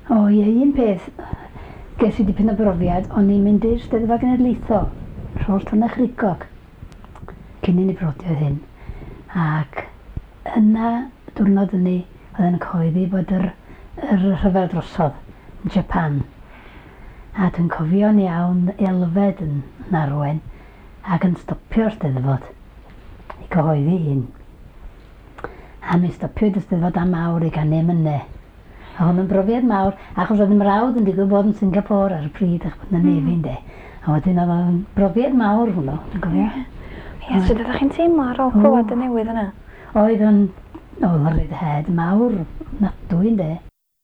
O ie, un peth, ges i dipyn o brofiad, o'n i'n mynd i'r Steddfod Genedlaethol, Rhôl Tonychrugog, cyn i ni brodi oedd hyn. Ac yna, diwrnod hynny, oedd yn cyhoeddi bod yr, yr rhyfel drosodd yn Japan. A dwi'n cofio'n iawn Elfed yn, yn arwen ac yn stopio'r Steddfod i cyhoeddi hyn. A mi stopiwyd y Steddfod am awr i ganu emynau. A hwn yn brofiad mawr, achos oedd 'y mrawd yn digwydd bod yn Singapore ar y pryd, a'ch bod yn y Navy ynde. A wedyn oedd o'n brofiad mawr hwnnw, dwi'n cofio. Ie. Ie, sut oeddech chi'n teimlo ar ôl clywed y newydd yna? Oedd o'n, oedd o'n ryddhad mawr ofnadwy ynde.